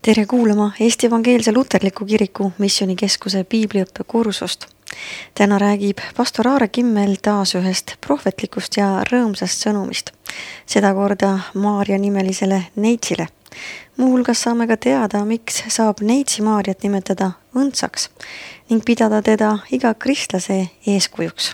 Tere kuulama Eesti Evangeelse Luterliku Kiriku Missioonikeskuse piibliõppekursust. Täna räägib pastor Aare Kimmel taas ühest prohvetlikust ja rõõmsast sõnumist, seda korda Maarja nimelisele neitsile. Muuhulgas saame ka teada, miks saab neitsi Maarjat nimetada õndsaks ning pidada teda iga kristlase eeskujuks.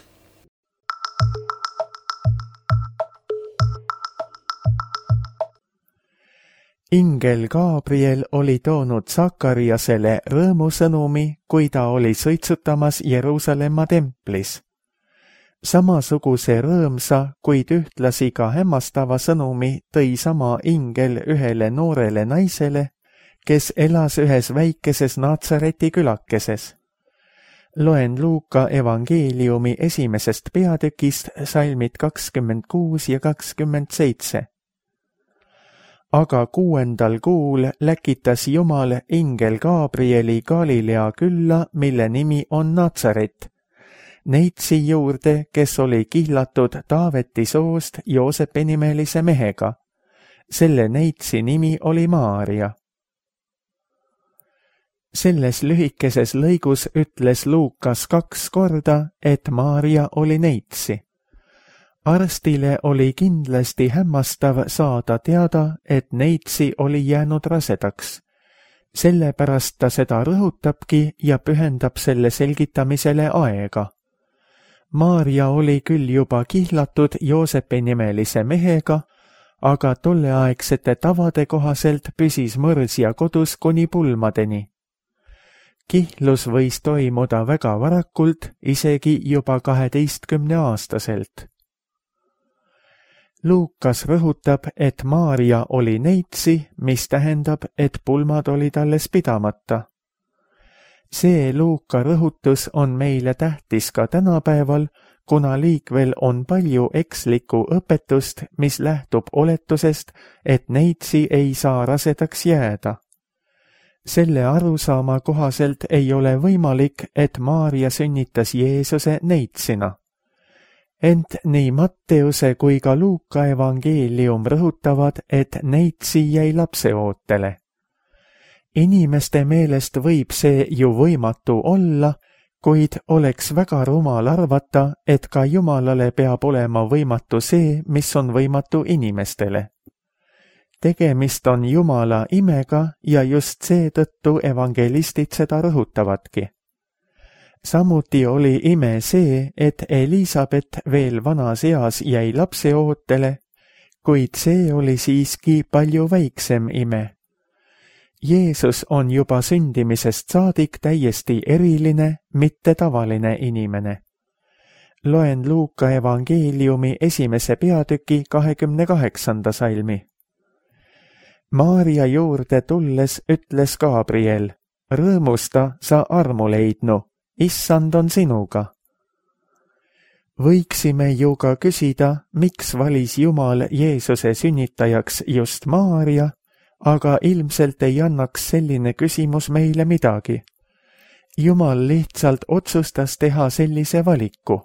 Ingel Gabriel oli toonud Sakariasele rõõmusõnumi, kui ta oli sõitsutamas Jeruusalemma templis. Samasuguse rõõmsa, kuid ühtlasi ka hämmastava sõnumi tõi sama ingel ühele noorele naisele, kes elas ühes väikeses Natsareti külakeses. Loen Luuka evangeeliumi 1. peatükist salmid 26 ja 27. Aga 6. kuul läkitas Jumal ingel Gabrieli Galilea külla, mille nimi on Natsaret, neitsi juurde, kes oli kihlatud Taaveti soost Joosepi nimelise mehega. Selle neitsi nimi oli Maarja. Selles lühikeses lõigus ütles Luukas 2 korda, et Maarja oli neitsi. Arstile oli kindlasti hämmastav saada teada, et neitsi oli jäänud rasedaks. Sellepärast ta seda rõhutabki ja pühendab selle selgitamisele aega. Maarja oli küll juba kihlatud Joosepi nimelise mehega, aga tolleaegsete tavade kohaselt püsis mõrsja kodus kuni pulmadeni. Kihlus võis toimuda väga varakult, isegi juba 12-aastaselt. Luukas rõhutab, et Maarja oli neitsi, mis tähendab, et pulmad olid alles pidamata. See Luuka rõhutus on meile tähtis ka tänapäeval, kuna liikvel on palju ekslikku õpetust, mis lähtub oletusest, et neitsi ei saa rasedaks jääda. Selle arusaama kohaselt ei ole võimalik, et Maarja sünnitas Jeesuse neitsina. Ent nii Matteuse kui ka Luuka evangeelium rõhutavad, et neitsi jäi lapseootele. Inimeste meelest võib see ju võimatu olla, kuid oleks väga rumal arvata, et ka Jumalale peab olema võimatu see, mis on võimatu inimestele. Tegemist on Jumala imega ja just seetõttu evangelistid seda rõhutavadki. Samuti oli ime see, et Elisabet veel vanas eas jäi lapseootele, kuid see oli siiski palju väiksem ime. Jeesus on juba sündimisest saadik täiesti eriline, mitte tavaline inimene. Loen Luuka evangeeliumi 1. peatüki 28. salmi. Maarja juurde tulles ütles Gabriel, rõõmusta, sa armu leidnu. Issand on sinuga. Võiksime ju ka küsida, miks valis Jumal Jeesuse sünnitajaks just Maarja, aga ilmselt ei annaks selline küsimus meile midagi. Jumal lihtsalt otsustas teha sellise valiku.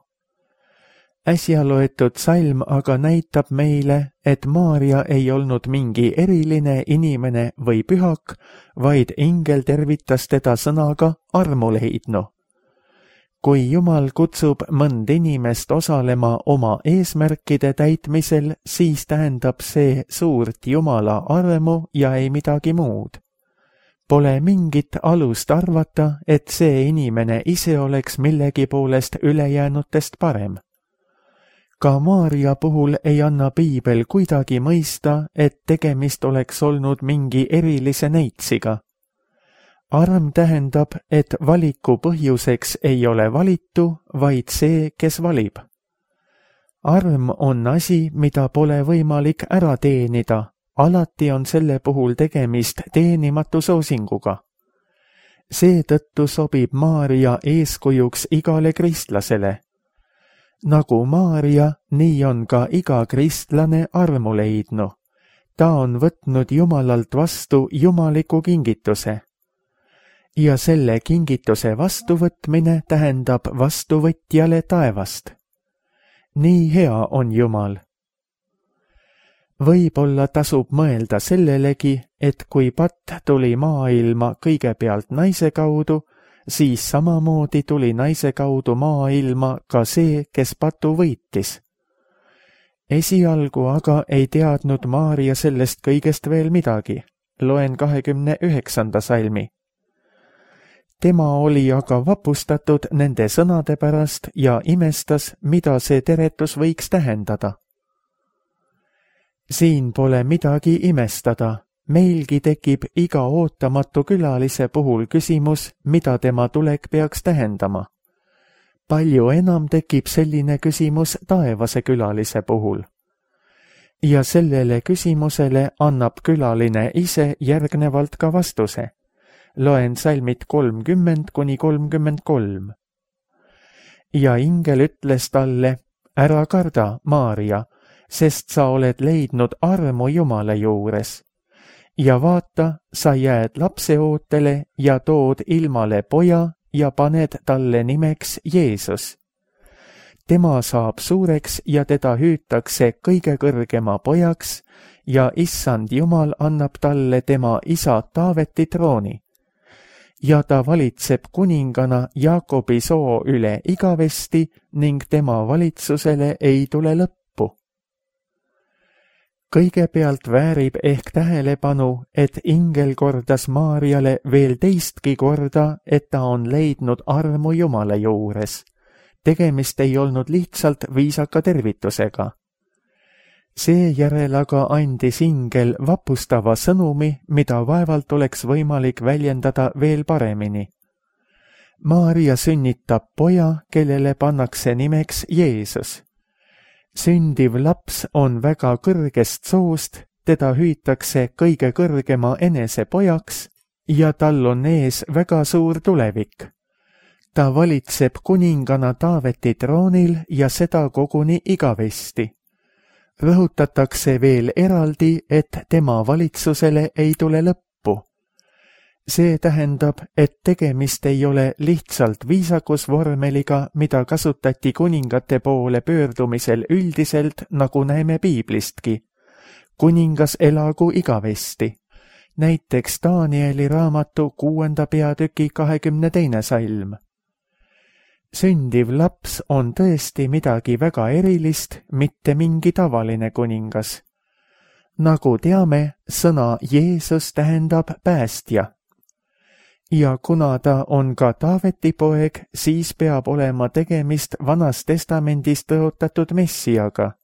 Äsja loetud salm aga näitab meile, et Maarja ei olnud mingi eriline inimene või pühak, vaid ingel tervitas teda sõnaga armu leidnu. Kui Jumal kutsub mõnd inimest osalema oma eesmärkide täitmisel, siis tähendab see suurt Jumala armu ja ei midagi muud. Pole mingit alust arvata, et see inimene ise oleks millegi poolest ülejäänutest parem. Ka Maarja puhul ei anna piibel kuidagi mõista, et tegemist oleks olnud mingi erilise neitsiga. Arm tähendab, et valiku põhjuseks ei ole valitu, vaid see, kes valib. Arm on asi, mida pole võimalik ära teenida, alati on selle puhul tegemist teenimatu soosinguga. Seetõttu sobib Maarja eeskujuks igale kristlasele. Nagu Maarja, nii on ka iga kristlane armu leidnu. Ta on võtnud Jumalalt vastu jumaliku kingituse. Ja selle kingituse vastuvõtmine tähendab vastuvõtjale taevast. Nii hea on Jumal. Võib-olla tasub mõelda sellelegi, et kui patt tuli maailma kõigepealt naise kaudu, siis samamoodi tuli naise kaudu maailma ka see, kes patu võitis. Esialgu aga ei teadnud Maarja sellest kõigest veel midagi. Loen 29. salmi. Tema oli aga vapustatud nende sõnade pärast ja imestas, mida see teretus võiks tähendada. Siin pole midagi imestada. Meilgi tekib iga ootamatu külalise puhul küsimus, mida tema tulek peaks tähendama. Palju enam tekib selline küsimus taevase külalise puhul. Ja sellele küsimusele annab külaline ise järgnevalt ka vastuse. Loen salmid 30–33. Ja ingel ütles talle, ära karda, Maarja, sest sa oled leidnud armu Jumala juures. Ja vaata, sa jääd lapseootele ja tood ilmale poja ja paned talle nimeks Jeesus. Tema saab suureks ja teda hüütakse kõige kõrgema pojaks ja issand Jumal annab talle tema isa Taaveti trooni. Ja ta valitseb kuningana Jaakobi soo üle igavesti ning tema valitsusele ei tule lõppu. Kõigepealt väärib ehk tähelepanu, et ingel kordas Maarjale veel teistki korda, et ta on leidnud armu Jumala juures. Tegemist ei olnud lihtsalt viisaka tervitusega. Seejärel aga andis ingel vapustava sõnumi, mida vaevalt oleks võimalik väljendada veel paremini. Maarja sünnitab poja, kellele pannakse nimeks Jeesus. Sündiv laps on väga kõrgest soost, teda hüütakse kõige kõrgema enese pojaks ja tal on ees väga suur tulevik. Ta valitseb kuningana Taaveti troonil ja seda koguni igavesti. Rõhutatakse veel eraldi, et tema valitsusele ei tule lõppu. See tähendab, et tegemist ei ole lihtsalt viisakusvormeliga, mida kasutati kuningate poole pöördumisel üldiselt, nagu näeme piiblistki. Kuningas elagu igavesti. Näiteks Danieli raamatu 6. peatüki 22. salm. Sündiv laps on tõesti midagi väga erilist, mitte mingi tavaline kuningas. Nagu teame, sõna Jeesus tähendab päästja. Ja kuna ta on ka Taaveti poeg, siis peab olema tegemist Vanas Testamendis tõotatud Messiaga.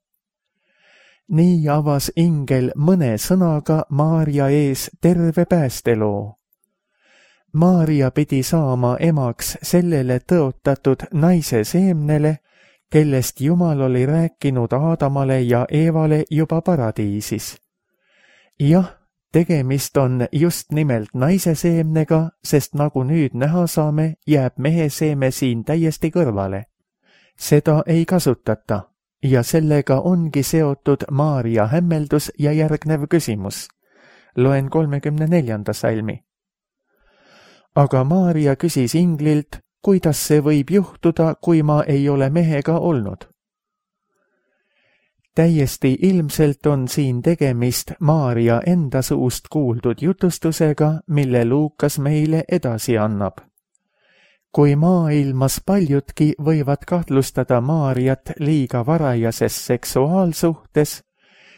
Nii avas ingel mõne sõnaga Maarja ees terve päästeloo. Maarja pidi saama emaks sellele tõotatud naise seemnele, kellest Jumal oli rääkinud Aadamale ja Eevale juba paradiisis. Jah, tegemist on just nimelt naise seemnega, sest nagu nüüd näha saame, jääb mehe seeme siin täiesti kõrvale. Seda ei kasutata ja sellega ongi seotud Maarja hämmeldus ja järgnev küsimus. Loen 34. salmi. Aga Maarja küsis inglilt, kuidas see võib juhtuda, kui ma ei ole mehega olnud. Täiesti ilmselt on siin tegemist Maarja enda suust kuuldud jutustusega, mille Luukas meile edasi annab. Kui maailmas paljudki võivad kahtlustada Maarjat liiga varajases seksuaalsuhtes,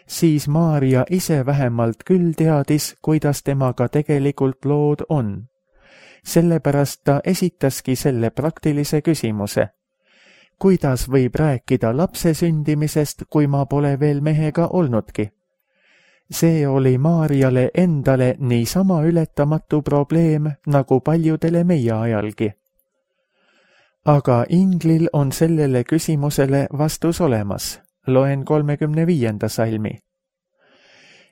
siis Maarja ise vähemalt küll teadis, kuidas temaga tegelikult lood on. Sellepärast ta esitaski selle praktilise küsimuse. Kuidas võib rääkida lapse sündimisest, kui ma pole veel mehega olnudki? See oli Maarjale endale niisama ületamatu probleem, nagu paljudele meie ajalgi. Aga inglil on sellele küsimusele vastus olemas. Loen 35. salmi.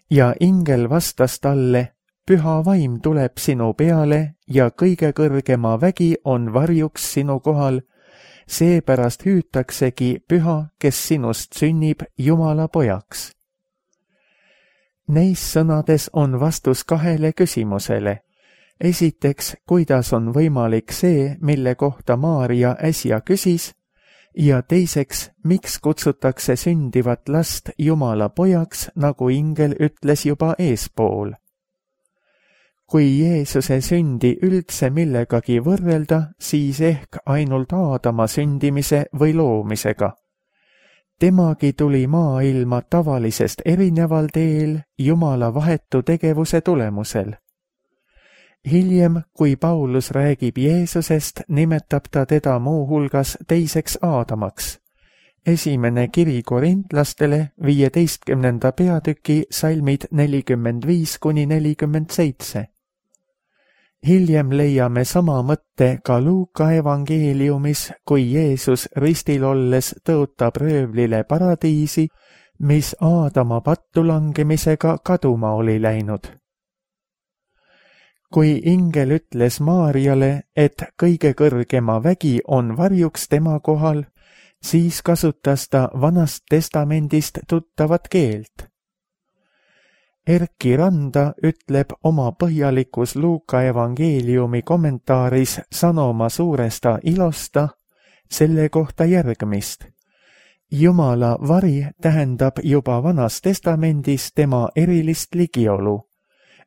Ja ingel vastas talle, püha vaim tuleb sinu peale ja kõige kõrgema vägi on varjuks sinu kohal, seepärast hüütaksegi püha, kes sinust sünnib Jumala pojaks. Neis sõnades on vastus kahele küsimusele. Esiteks, kuidas on võimalik see, mille kohta Maarja äsja küsis, Ja teiseks, miks kutsutakse sündivat last Jumala pojaks, nagu ingel ütles juba eespool? Kui Jeesuse sündi üldse millegagi võrrelda, siis ehk ainult Aadama sündimise või loomisega. Temagi tuli maailma tavalisest erineval teel Jumala vahetu tegevuse tulemusel. Hiljem, kui Paulus räägib Jeesusest, nimetab ta teda muuhulgas teiseks Aadamaks. Esimene kiri korintlastele 15. peatüki salmid 45–47. Hiljem leiame sama mõtte ka Luuka evangeeliumis, kui Jeesus ristil olles tõotab röövlile paradiisi, mis Aadama pattu langemisega kaduma oli läinud. Kui ingel ütles Maarjale, et kõige kõrgema vägi on varjuks tema kohal, siis kasutas ta Vanast Testamendist tuttavat keelt. Erki Randa ütleb oma põhjalikus Luuka evangeeliumi kommentaaris Sanoma suuresta ilosta selle kohta järgmist. Jumala vari tähendab juba Vanas Testamendis tema erilist ligiolu.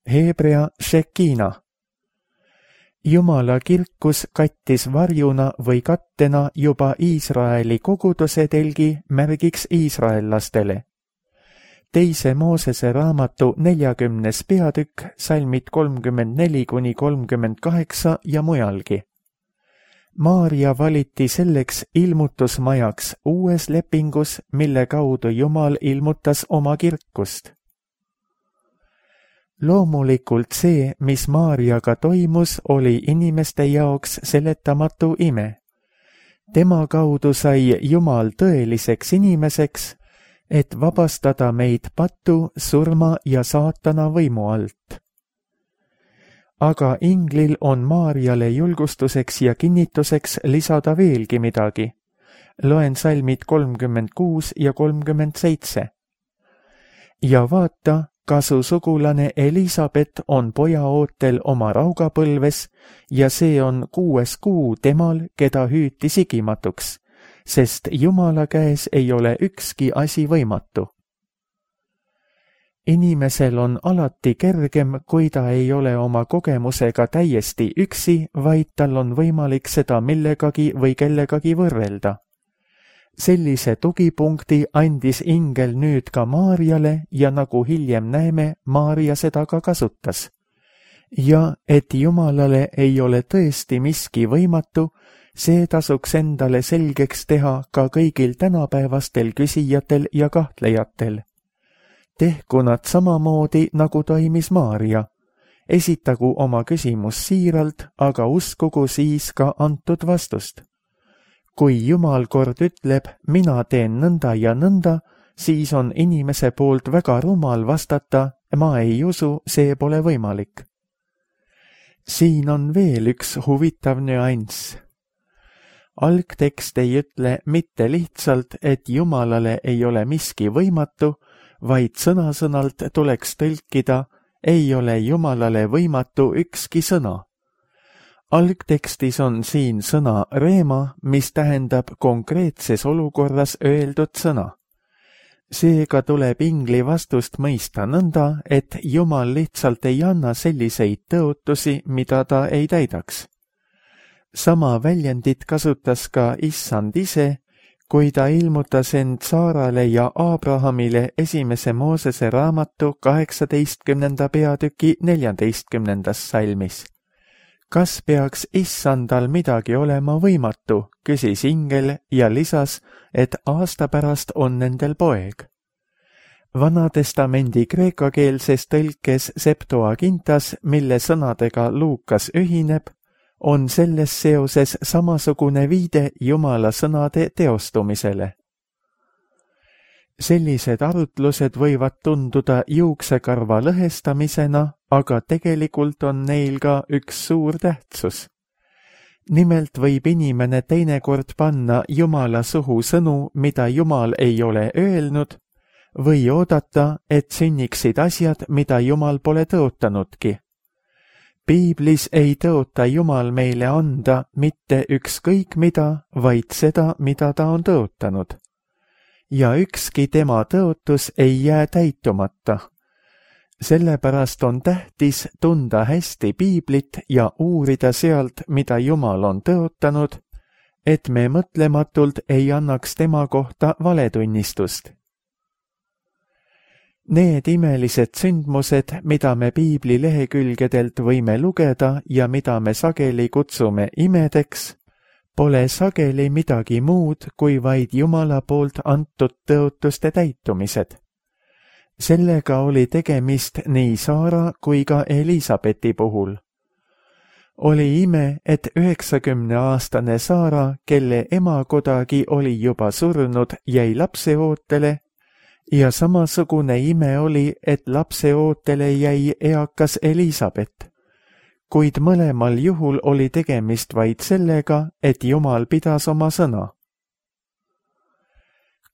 Hebrea Shekina. Jumala kirkus kattis varjuna või kattena juba Iisraeli koguduse telgi märgiks iisraellastele. Teise Moosese raamatu 40. peatükk, salmid 34–38 ja mujalgi. Maarja valiti selleks ilmutusmajaks uues lepingus, mille kaudu Jumal ilmutas oma kirkust. Loomulikult see, mis Maarjaga toimus, oli inimeste jaoks seletamatu ime. Tema kaudu sai Jumal tõeliseks inimeseks, et vabastada meid patu, surma ja saatana võimu alt. Aga inglil on Maarjale julgustuseks ja kinnituseks lisada veelgi midagi. Loen salmid 36 ja 37. Ja vaata, ka su sugulane Elisabet on poja ootel oma raugapõlves ja see on 6. kuu temal, keda hüüti sigimatuks, sest Jumala käes ei ole ükski asi võimatu. Inimesel on alati kergem, kui ta ei ole oma kogemusega täiesti üksi, vaid tal on võimalik seda millegagi või kellegagi võrrelda. Sellise tugipunkti andis ingel nüüd ka Maarjale ja nagu hiljem näeme, Maarja seda ka kasutas. Ja et Jumalale ei ole tõesti miski võimatu, see tasuks endale selgeks teha ka kõigil tänapäevastel küsijatel ja kahtlejatel. Tehku nad samamoodi, nagu toimis Maarja. Esitagu oma küsimus siiralt, aga uskugu siis ka antud vastust. Kui Jumal kord ütleb, mina teen nõnda ja nõnda, siis on inimese poolt väga rumal vastata, ma ei usu, see pole võimalik. Siin on veel üks huvitav nüanss. Algtekst ei ütle mitte lihtsalt, et Jumalale ei ole miski võimatu, vaid sõna-sõnalt tuleks tõlkida, ei ole Jumalale võimatu ükski sõna. Algtekstis on siin sõna reema, mis tähendab konkreetses olukorras öeldud sõna. Seega tuleb ingli vastust mõista nõnda, et Jumal lihtsalt ei anna selliseid tõotusi, mida ta ei täidaks. Sama väljendit kasutas ka Issand ise, kui ta ilmutas end Saarale ja Abrahamile esimese Moosese raamatu 18. peatüki 14. salmis. Kas peaks Issandal midagi olema võimatu, küsis ingel ja lisas, et aasta pärast on nendel poeg. Vanatestamendi kreekakeelses tõlkes Septuagintas, mille sõnadega Luukas ühineb, on selles seoses samasugune viide Jumala sõnade teostumisele. Sellised arutlused võivad tunduda juuksekarva lõhestamisena, aga tegelikult on neil ka üks suur tähtsus. Nimelt võib inimene teinekord panna Jumala suhu sõnu, mida Jumal ei ole öelnud, või oodata, et sünniksid asjad, mida Jumal pole tõotanudki. Piiblis ei tõota Jumal meile anda mitte ükskõik mida, vaid seda, mida ta on tõotanud. Ja ükski tema tõotus ei jää täitumata. Sellepärast on tähtis tunda hästi Piiblit ja uurida sealt, mida Jumal on tõotanud, et me mõtlematult ei annaks tema kohta valetunnistust. Need imelised sündmused, mida me Piibli lehekülgedelt võime lugeda ja mida me sageli kutsume imedeks, pole sageli midagi muud kui vaid Jumala poolt antud tõotuste täitumised. Sellega oli tegemist nii Saara kui ka Elisabethi puhul. Oli ime, et 90-aastane Saara, kelle ema kodagi oli juba surnud, jäi lapseootele, ja samasugune ime oli, et lapseootele jäi eakas Elisabeth, kuid mõlemal juhul oli tegemist vaid sellega, et Jumal pidas oma sõna.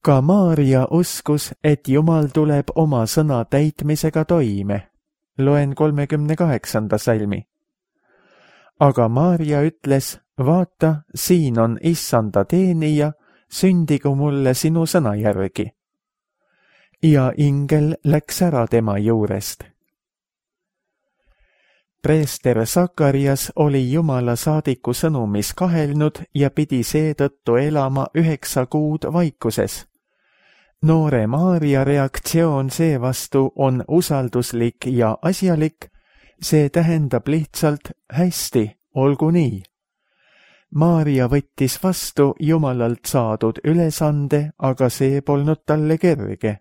Ka Maarja uskus, et Jumal tuleb oma sõna täitmisega toime. Loen 38. salmi. Aga Maarja ütles, vaata, siin on Issanda teenija, sündigu mulle sinu sõna järgi. Ja ingel läks ära tema juurest. Preester Sakarias oli Jumala saadiku sõnumis kahelnud ja pidi seetõttu elama 9 kuud vaikuses. Noore Maarja reaktsioon seevastu on usalduslik ja asjalik, see tähendab lihtsalt hästi, olgu nii. Maarja võttis vastu Jumalalt saadud ülesande, aga see polnud talle kerge.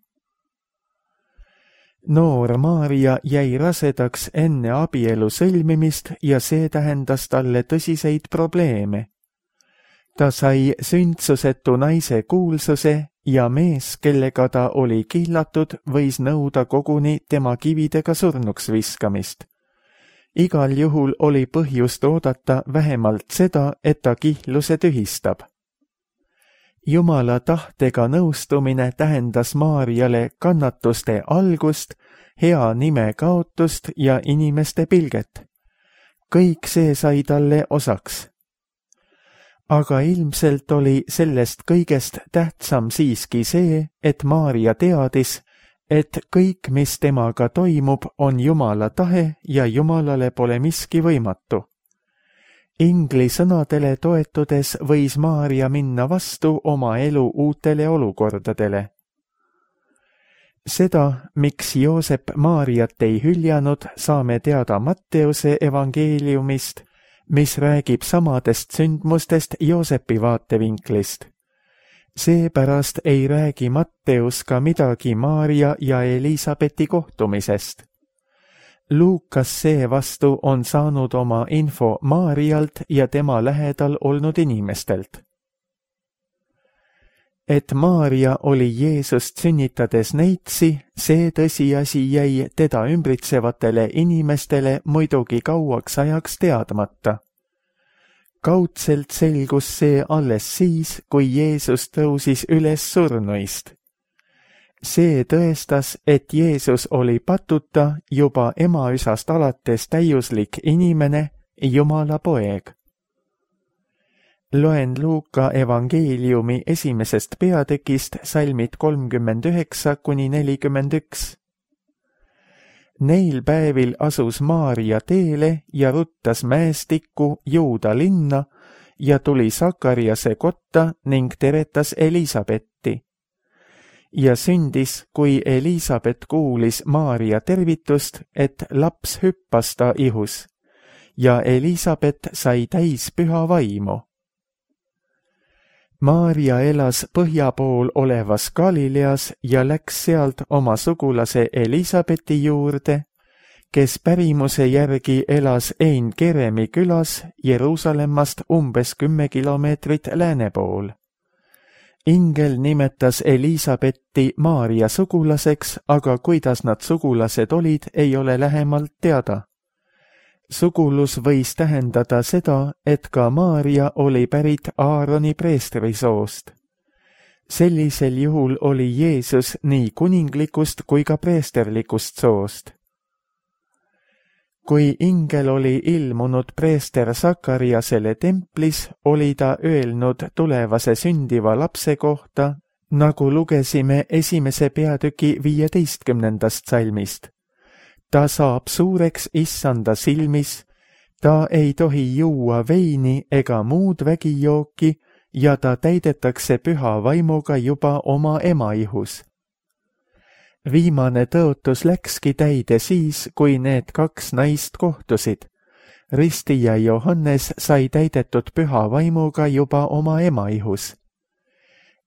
Noor Maarja jäi rasedaks enne abielu sõlmimist ja see tähendas talle tõsiseid probleeme. Ta sai sündsusetu naise kuulsuse ja mees, kellega ta oli kihlatud, võis nõuda koguni tema kividega surnuks viskamist. Igal juhul oli põhjust oodata vähemalt seda, et ta kihluse tühistab. Jumala tahtega nõustumine tähendas Maarjale kannatuste algust, hea nime kaotust ja inimeste pilget. Kõik see sai talle osaks. Aga ilmselt oli sellest kõigest tähtsam siiski see, et Maarja teadis, et kõik, mis temaga toimub, on Jumala tahe ja Jumalale pole miski võimatu. Ingli sõnadele toetudes võis Maarja minna vastu oma elu uutele olukordadele. Seda, miks Joosep Maarjat ei hüljanud, saame teada Matteuse evangeeliumist, mis räägib samadest sündmustest Joosepi vaatevinklist. Seepärast ei räägi Matteus ka midagi Maarja ja Elisabethi kohtumisest. Luukas seevastu on saanud oma info Maarjalt ja tema lähedal olnud inimestelt. Et Maarja oli Jeesust sünnitades neitsi, see tõsiasi jäi teda ümbritsevatele inimestele muidugi kauaks ajaks teadmata. Kaudselt selgus see alles siis, kui Jeesus tõusis üles surnuist. See tõestas, et Jeesus oli patuta juba emaüsast alates täiuslik inimene, Jumala poeg. Loen Luuka evangeeliumi 1. peatükist salmid 39–41. Neil päevil asus Maarja teele ja ruttas mäestikku Juuda linna ja tuli Sakariase kotta ning teretas Elisabethi. Ja sündis, kui Elisabeth kuulis Maarja tervitust, et laps hüppas ta ihus ja Elisabeth sai täis püha vaimu. Maarja elas põhja pool olevas Galileas ja läks sealt oma sugulase Elisabethi juurde, kes pärimuse järgi elas Ein Keremi külas Jeruusalemmast umbes 10 kilomeetrit lääne pool. Ingel nimetas Elisabethi Maarja sugulaseks, aga kuidas nad sugulased olid, ei ole lähemalt teada. Sugulus võis tähendada seda, et ka Maarja oli pärit Aaroni preestrisoost. Sellisel juhul oli Jeesus nii kuninglikust kui ka preesterlikust soost. Kui ingel oli ilmunud preester Sakariasele templis, oli ta öelnud tulevase sündiva lapse kohta, nagu lugesime 1. peatüki 15. salmist. Ta saab suureks issanda silmis, ta ei tohi juua veini ega muud vägijooki ja ta täidetakse püha vaimuga juba oma ema ihus. Viimane tõotus läkski täide siis, kui need 2 naist kohtusid. Risti ja Johannes sai täidetud püha vaimuga juba oma ema ihus.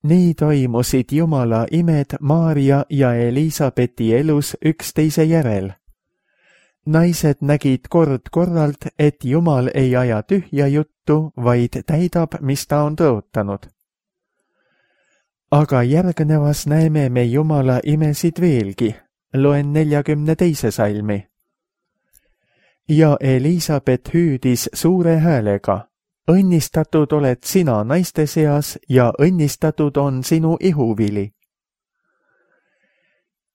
Nii toimusid Jumala imed Maarja ja Elisabethi elus üksteise järel. Naised nägid kord korralt, et Jumal ei aja tühja juttu, vaid täidab, mis ta on tõotanud. Aga järgnevas näeme me Jumala imesid veelgi. Loen 42. salmi. Ja Elisabeth hüüdis suure häälega, õnnistatud oled sina naiste seas ja õnnistatud on sinu ihuvili.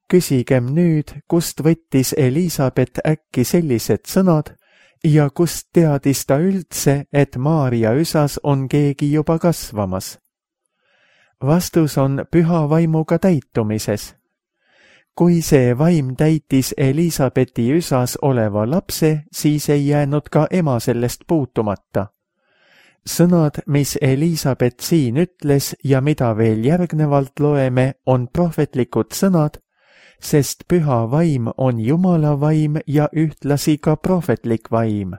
Küsigem nüüd, kust võttis Elisabeth äkki sellised sõnad ja kust teadis ta üldse, et Maarja üsas on keegi juba kasvamas. Vastus on püha vaimuga täitumises. Kui see vaim täitis Elisabethi üsas oleva lapse, siis ei jäänud ka ema sellest puutumata. Sõnad, mis Elisabeth siin ütles ja mida veel järgnevalt loeme, on prohvetlikud sõnad, sest püha vaim on Jumala vaim ja ühtlasi ka prohvetlik vaim.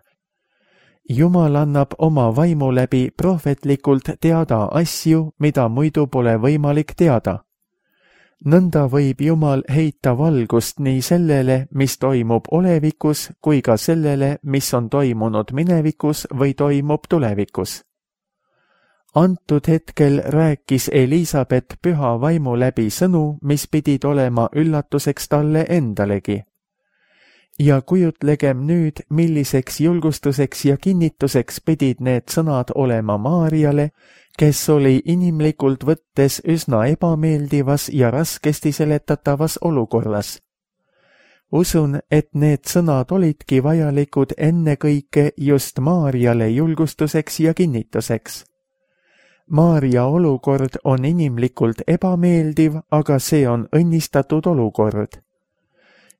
Jumal annab oma vaimu läbi prohvetlikult teada asju, mida muidu pole võimalik teada. Nõnda võib Jumal heita valgust nii sellele, mis toimub olevikus, kui ka sellele, mis on toimunud minevikus või toimub tulevikus. Antud hetkel rääkis Elisabeth püha vaimu läbi sõnu, mis pidid olema üllatuseks talle endalegi. Ja kujutlegem nüüd, milliseks julgustuseks ja kinnituseks pidid need sõnad olema Maarjale, kes oli inimlikult võttes üsna ebameeldivas ja raskesti seletatavas olukorras. Usun, et need sõnad olidki vajalikud ennekõike just Maarjale julgustuseks ja kinnituseks. Maarja olukord on inimlikult ebameeldiv, aga see on õnnistatud olukord.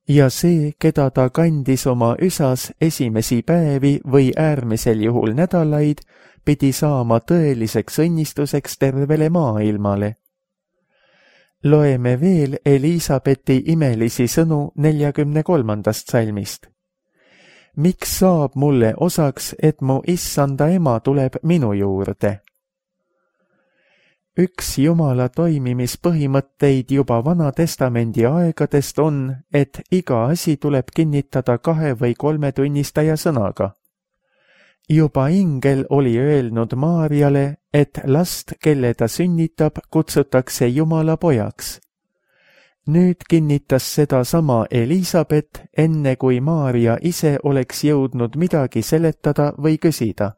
Ja see, keda ta kandis oma üsas esimesi päevi või äärmisel juhul nädalaid, pidi saama tõeliseks õnnistuseks tervele maailmale. Loeme veel Elisabethi imelisi sõnu 43. salmist. Miks saab mulle osaks, et mu issanda ema tuleb minu juurde? Üks Jumala toimimispõhimõtteid juba Vana Testamendi aegadest on, et iga asi tuleb kinnitada 2 või 3 tunnistaja sõnaga. Juba ingel oli öelnud Maarjale, et last, kelle ta sünnitab, kutsutakse Jumala pojaks. Nüüd kinnitas seda sama Elisabeth, enne kui Maarja ise oleks jõudnud midagi seletada või küsida.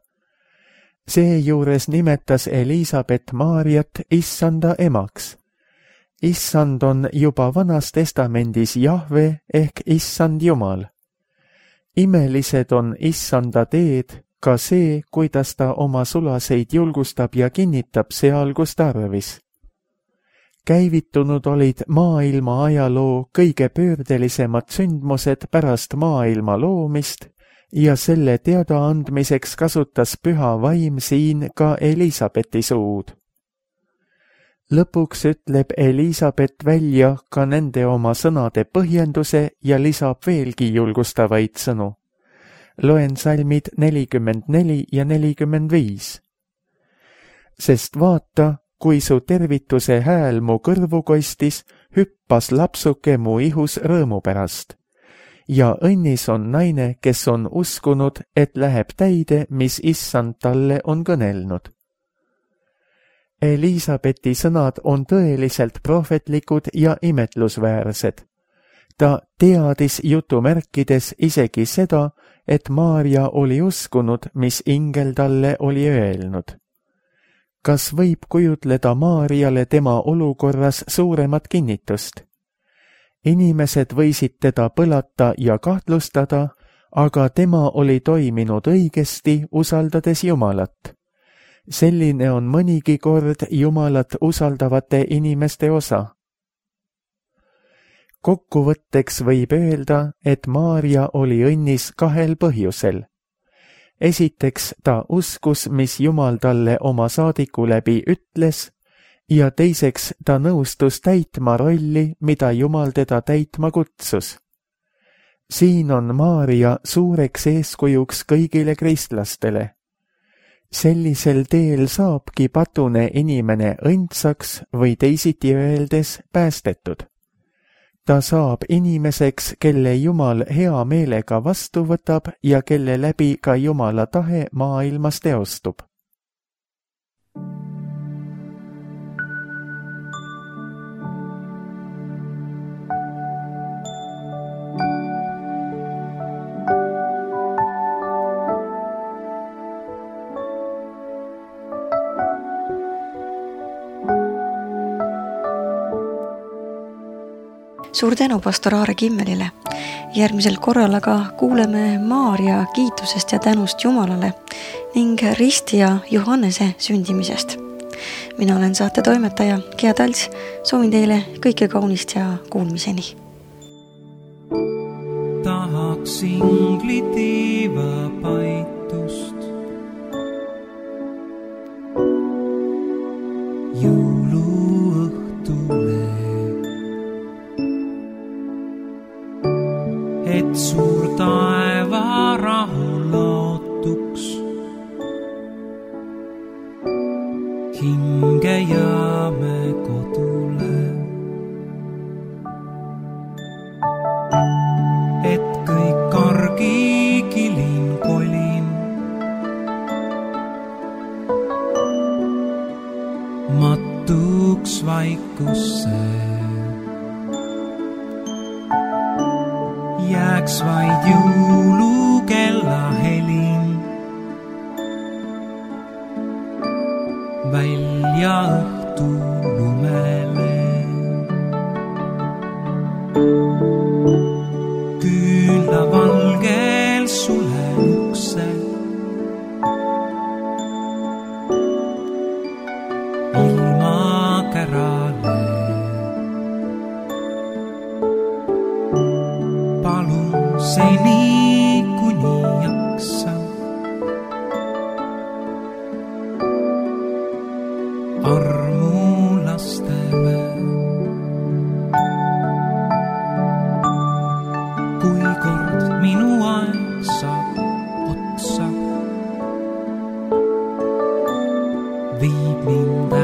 Seejuures nimetas Elisabeth Maarjat issanda emaks. Issand on juba Vanas Testamendis Jahve ehk issand Jumal. Imelised on issanda teed, ka see, kuidas ta oma sulaseid julgustab ja kinnitab seal, kus tarvis. Käivitunud olid maailma ajaloo kõige pöördelisemad sündmused pärast maailma loomist, ja selle teadaandmiseks kasutas püha vaim siin ka Elisabethi suud. Lõpuks ütleb Elisabeth välja ka nende oma sõnade põhjenduse ja lisab veelgi julgustavaid sõnu. Loen salmid 44 ja 45. Sest vaata, kui su tervituse hääl mu kõrvu kostis, hüppas lapsuke mu ihus rõõmu pärast. Ja õnnis on naine, kes on uskunud, et läheb täide, mis issand talle on kõnelnud. Elisabethi sõnad on tõeliselt prohvetlikud ja imetlusväärsed. Ta teadis jutumärkides isegi seda, et Maarja oli uskunud, mis ingel talle oli öelnud. Kas võib kujutleda Maarjale tema olukorras suuremat kinnitust? Inimesed võisid teda põlata ja kahtlustada, aga tema oli toiminud õigesti, usaldades Jumalat. Selline on mõnigi kord Jumalat usaldavate inimeste osa. Kokkuvõtteks võib öelda, et Maarja oli õnnis 2 põhjusel. Esiteks ta uskus, mis Jumal talle oma saadiku läbi ütles, ja teiseks ta nõustus täitma rolli, mida Jumal teda täitma kutsus. Siin on Maarja suureks eeskujuks kõigile kristlastele. Sellisel teel saabki patune inimene õndsaks või teisiti öeldes päästetud. Ta saab inimeseks, kelle Jumal hea meelega vastu võtab ja kelle läbi ka Jumala tahe maailmas teostub. Suur tänu pastor Aare Kimmelile. Järgmisel korral aga kuuleme Maarja kiitusest ja tänust Jumalale ning Risti ja Johannese sündimisest. Mina olen saate toimetaja Gea Talts. Soovin teile kõike kaunist ja kuulmiseni. Tahaks ingli tiiva paitust, jõuluõhtule, et suur taeva rahul lootuks hinge jääme kodule, et kõik argi kilin kolin matuks vaikusse. Jääks vaid jõulukella helin välja õhtu lumele. Küünla valgel sulen ukse, ilma kärale. Palun seni kuni jaksan, armu lastele. Kui kord minu aeg saab otsa, viib mind